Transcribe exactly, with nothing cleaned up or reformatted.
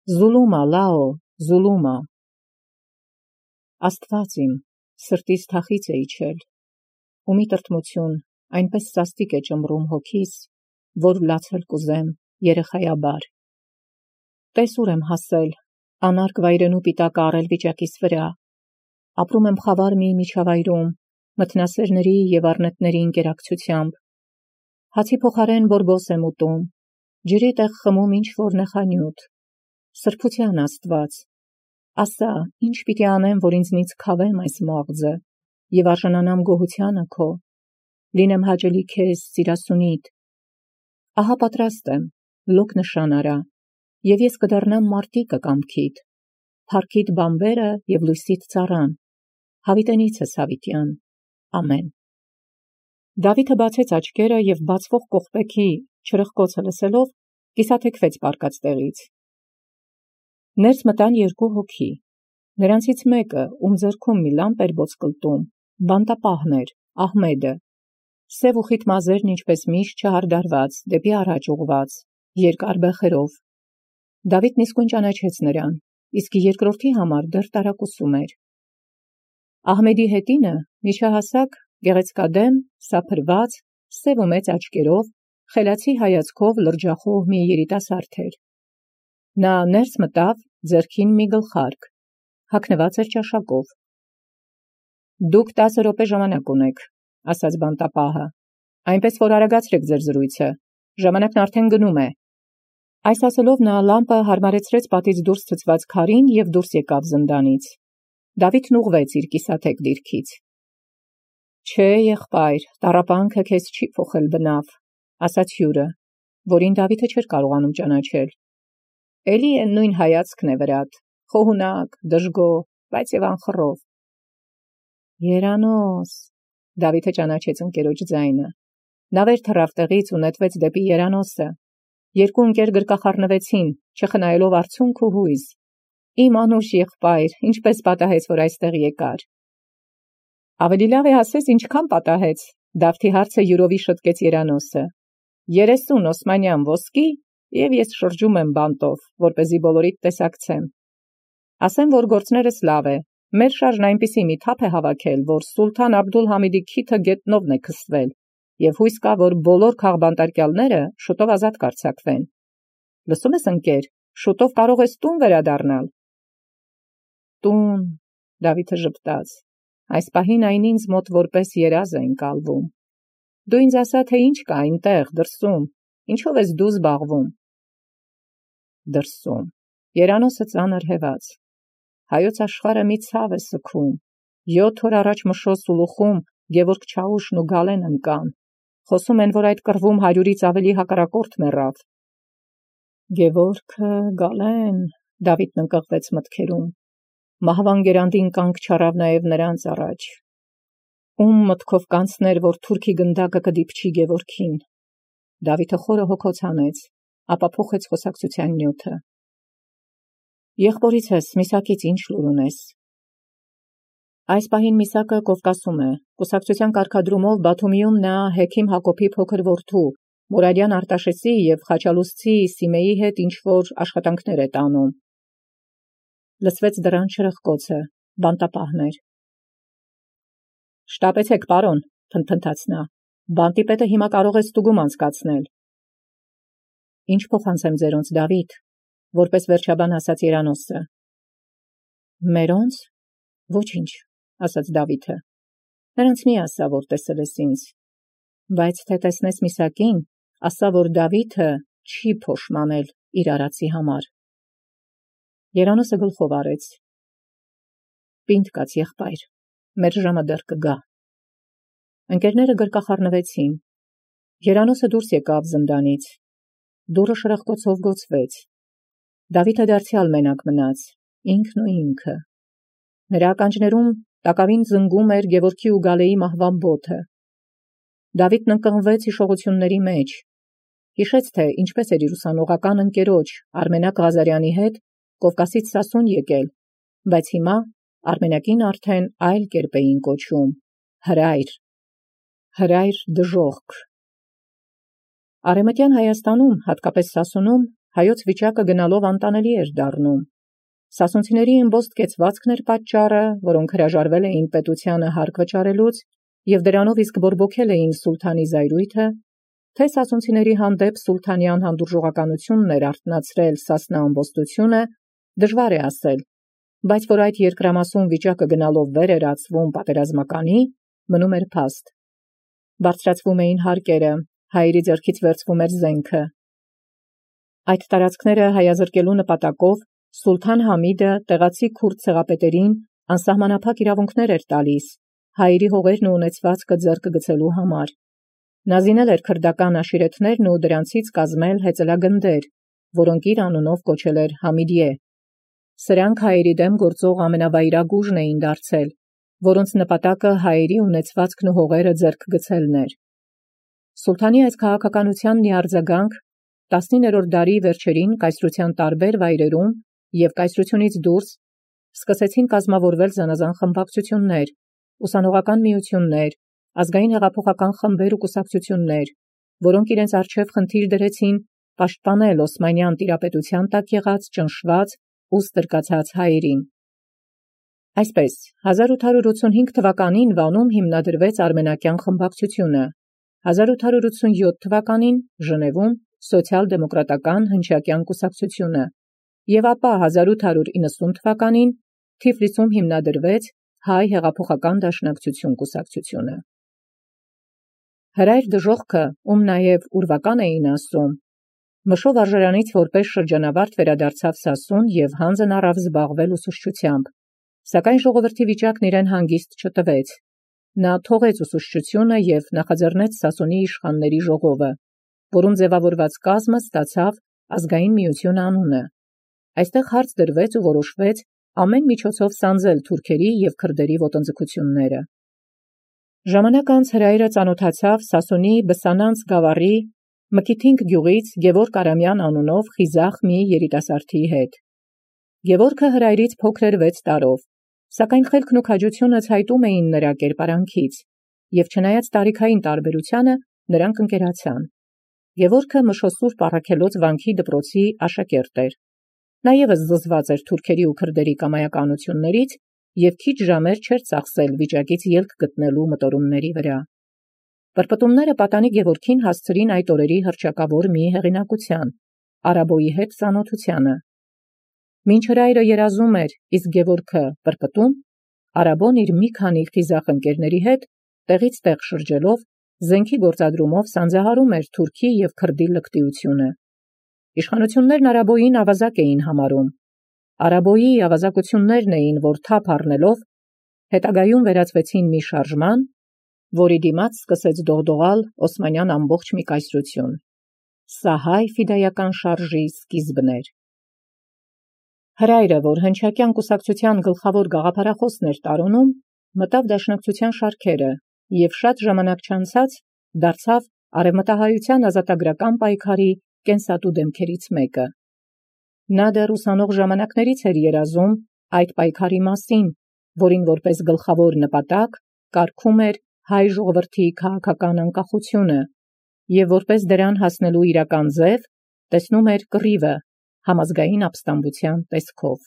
Զուլումա լաո, զուլումա։ Աստված իմ, սրտիս թախից է իջել, ու մի տրտմություն այնպես սաստիկ է ճմռում հոգիս, որ լացել կուզեմ երեխայաբար։ Տես ուր եմ հասել, անարգ վայրենու պիտակը առել վիճակիս վրա, ապրում եմ խավար մի միջավայրում, մթնասերների և առնետների ընկերակցությամբ, հացի փոխարեն բորբոս եմ ուտում, ջրի տեղ խմում ինչ-որ նեխանյութ, սրբության Աստված, ասա, ինչ պիտի անեմ, որ ինձնից քավեմ այս մաղձը և արժանանամ գոհությանը քո, լինեմ հաճելի քեզ սիրասունիդ։ Ահա պատրաստ եմ, լոկ նշան արա, և ես կդառնամ մարտիկը կամքիդ, փառքիդ բանբերը և լույսիդ ծառան, հավիտենիցս հավիտյան, ամեն։ Դավիթը բացեց աչքերը և բացվող կողպեքի չրխկոցը լսելով կիսաթեքվեց պառկած տեղից։ Ներս մտան երկու հոգի, նրանցից մեկը, ում ձեռքում մի լամպ էր ոսկլտում, բանտապահն էր, Ահմեդը, սև ու խիտ մազերն ինչպես միշտ չհարդարված, դեպի առաջ ուղղված, երկար բեխերով։ Դավիթն իսկույն ճանաչեց նրան, իսկ երկրորդի համար դեռ տարակուսում էր։ Ահմեդի հետինը միջահասակ, գեղեցկադեմ, սափրված, սև ու մեծ աչքերով, խելացի հայացքով լրջախոհ մի երիտասարդ էր։ Նա ներս մտավ, ձեռքին մի գլխարկ, հագնված էր ճաշակով։ Դուք տասը րոպե ժամանակ ունեք, ասաց բանտապահը, այնպես որ արագացրեք ձեր զրույցը, ժամանակն արդեն գնում է։ Այս ասելով նա լամպը հարմարեցրեց պատից դուրս ցցված քարին և դուրս եկավ զնդանից։ Դավիթն ուղղվեց իր կիսաթեք դիրքից։ Չէ, եղբայր, տառապանքը քեզ չի փոխել բնավ, ասաց հյուրը, որին Դավիթը չէր կարողանում ճանաչել։ Էլի են նույն հայացքն է վրադ, խոհունակ, դժգոհ, բայց և անխռով։ Երանոս, Դավիթը ճանաչեց ընկերոջ ձայնը։ Նա վեր թռավ տեղից ու նետվեց դեպի երանոսը։ Երկու ընկեր գրկախառնվեցին, չխնայելով արցունք ու հույզ։ Իմ անուշ եղբայր, ինչպես պատահեց, որ այստեղ եկար։ Ավելի լավ է ասես ինչքան պատահեց, Դավթի հարցը յուրովի շտկեց երանոսը։ Երեսուն օսմանյան ոսկի, և ես շրջում եմ բանտով, որպեսզի բոլորիդ տեսակցեմ։ Ասեմ, որ գործներս լավ է, մեր շարժն այնպիսի մի թափ է հավաքել, որ Սուլթան Աբդուլ-Համիդի քիթը գետնովն է քսվել, և հույս կա, որ բոլոր քաղբանտարկյալները շուտով ազատ կարձակվեն։ Լսում ես, ընկեր, շուտով կարող ես տուն վերադառնալ։ Տուն, Դավիթը ժպտաց, այս պահին այն ինձ մոտ որպես երազ է ընկալվում։ Դու ինձ ասա, թե ինչ կա այնտեղ դրսում, ինչով ես դու զբաղվում։ Դրսում, երանոսը ծանր հեված, հայոց աշխարհը մի ցավ է սգում, յոթ օր առաջ Մշոս Սուլուխում Գևորգ Չաուշն ու Գալեն ընկան, խոսում են, որ այդ կռվում հարյուրից ավելի հակառակորդ մեռավ։ Գևորգը, Գալեն, Դավիթն ընկղվեց մտքերում, մահվան գերանդին կանգ չառավ նաև նրանց առաջ։ Ում մտքով կանցներ, որ թուրքի գնդակը կդիպչի Գևորգին։ Դավիթը խորը հոգոց հանեց, ապա փոխեց խոսակցության նյութը։ Եղբորից ես, Միսակից ինչ լուր ունես։ Այս պահին Միսակը Կովկասում է, կուսակցության կարգադրումով Բաթումիում նա Հեքիմ Հակոբի փոքր որդու, Մուրադյան Արտաշեսի և Խաչալուսցի Սիմեի հետ ինչ-որ աշխատանքներ է տանում։ Լսվեց դռան շրխկոցը, բանտապահն էր։ Շտապեցեք, պարոն, փնթփնթաց նա, բանտի պետը հիմա կարող է ստուգում անցկացնել։ Ինչ փոխանցեմ ձերոնց, Դավիթ, որպես վերջաբան ասաց երանոսը։ Մերոնց։ Ոչինչ, ասաց Դավիթը։ Նրանց մի ասա, որ տեսել ես ինձ, բայց թե տեսնես Միսակին, ասա, որ Դավիթը չի փոշմանել իր արածի համար։ Երանոսը գլխով արեց։ Պինդ կաց, եղբայր, մեր ժամը դեռ կգա։ Ընկերները գրկախառնվեցին։ Երանոսը դուրս եկավ զնդանից։ Դուռը շրխկոցով գոցվեց։ Դավիթը դարձյալ մենակ մնաց, ինքն ու ինքը։ Նրա ականջներում տակավին զնգում էր Գևորգի ու Գալեի մահվան բոթը։ Դավիթն ընկղմվեց հիշողությունների մեջ։ Հիշեց, թե ինչպես էր իր ուսանողական ընկերոջ Արմենակ Ղազարյանի հետ Կովկասից Սասուն եկել, բայց հիմա Արմենակին արդեն այլ կերպ էին կոչում՝ հրայր, հրայր դժոխք։ Արևմտյան Հայաստանում, հատկապես Սասունում, հայոց վիճակը գնալով անտանելի էր դառնում։ Սասունցիների իմբոստ կեցվածքն էր պատճառը, որոնք հրաժարվել էին պետությանը հարկ վճարելուց և դրանով իսկ բորբոքել էին սուլթանի զայրույթը, թե սասունցիների հանդեպ սուլթանյան հանդուրժողականությունն էր արթնացրել Սասնա ամբոստությունը, դժվար է ասել, բայց որ այդ երկրամասում վիճակը գնալով վեր էր ածվում պատերազմականի, մնում էր փաստ։ Բարձրացվում էին հարկերը, հայերի ձեռքից վերցվում էր զենքը։ Այդ տարածքները հայազրկելու նպատակով Սուլթան Համիդը տեղացի քուրդ ցեղապետերին անսահմանափակ իրավունքներ էր տալիս հայերի հողերն ու ունեցվածքը ձեռքը գցելու համար։ Նա զինել էր քրդական աշիրեթներն ու դրանցից կազմել հեծելագնդեր, որոնք իր անունով կոչել էր Համիդիե։ Սրանք հայերի դեմ գործող ամենավայրագ ուժն էին դարձել, որոնց նպատակը հայերի ունեցվածքն ու հողերը ձեռք գցելն էր։ Սուլթանի այս քաղաքականությանն ի արձագանք տասնիններորդ դարի վերջերին կայսրության տարբեր վայրերում և կայսրությունից դուրս սկսեցին կազմավորվել զանազան խմբակցություններ, ուսանողական միություններ, ազգային հեղափոխական խմբեր ու կուսակցություններ, որոնք իրենց առջև խնդիր դրեցին պաշտպանել Օսմանյան տիրապետության տակ եղած ճնշված ու ստրկացած հայերին։ Այսպես, հազար ութ հարյուր ութսունհինգ թվականին Վանում հիմնադրվեց արմենակյան խմբակցությունը, հազար ութ հարյուր ութսունյոթ թվականին Ժնևում սոցիալ-դեմոկրատական հնչակյան կուսակցությունը և ապա հազար ութ հարյուր իննսուն թվականին Թիֆլիսում հիմնադրվեց Հայ հեղափոխական դաշնակցություն կուսակցությունը։ Հրայր դժոխքը, ում նաև ուրվական էին ասում, մշով արժրանից որպես շրջանավարտ վերադարձավ Սասուն և հանձն առավ զբաղվել ուսուցչությամբ, սակայն ժողովրդի վիճակն իրեն հանգիստ չտվեց։ Նա թողեց ուսուցչությունը և նախաձեռնեց Սասունի իշխանների ժողովը, որում ձևավորված կազմը ստացավ ազգային միություն անունը։ Այստեղ հարց դրվեց ու որոշվեց ամեն միջոցով սանձել թուրքերի և քրդերի ոտնձգությունները։ Ժամանակ անց հրայրը ծանոթացավ Սասունի Բսանանց գավառի Մկիթինք գյուղից Գևորգ Արամյան անունով խիզախ մի երիտասարդի հետ։ Գևորգը հրայրից փոքր էր վեց տարով, սակայն խելքն ու քաջությունը ցայտում էին նրա կերպարանքից, և չնայած տարիքային տարբերությանը նրանք ընկերացան։ Գևորգը Մշոսուրբ Առաքելոց վանքի դպրոցի աշակերտ էր։ Նա ևս զզված էր թուրքերի ու քրդերի կամայականություններից և քիչ ժամեր չէր ծախսել վիճակից ելք գտնելու մտորումների վրա։ Պրպտումները պատանի Գևորգին հասցրին այդ օրերի հռչակավոր մի հեղինակության՝ Արաբոյի հետ ծանոթությանը։ Մինչ հրայրը երազում էր, իսկ Գևորգը պրպտում, Արաբոն իր մի քանի խիզախ ընկերների հետ տեղից տեղ շրջելով զենքի գործադրումով սանձահարում էր թուրքի և քրդի լկտիությունը։ Իշխանություններն Արաբոյին ավազակ էին համարում։ Արաբոյի ավազակություններն էին, որ թափ առնելով հետագայում վերածվեցին մի շարժման, որի դիմաց սկսեց դողդողալ Օսմանյան ամբողջ մի կայսրություն։ Սա հայ ֆիդայական շարժի սկիզբն էր։ Հրայրը, որ հնչակյան կուսակցության գլխավոր գաղափարախոսն էր տարոնում, մտավ դաշնակցության շարքերը և շատ ժամանակ չանցած դարձավ արևմտահայության ազատագրական պայքարի կենսատու դեմքերից մեկը։ Նա դեռ ուսանող ժամանակներից էր երազում այդ պայքարի մասին, որին որպես գլխավոր նպատակ կարգում էր հայ ժողովրդի քաղաքական անկախությունը և որպես դրան հասնելու իրական ձև տեսնում էր կռիվը համազգային ապստամբության տեսքով։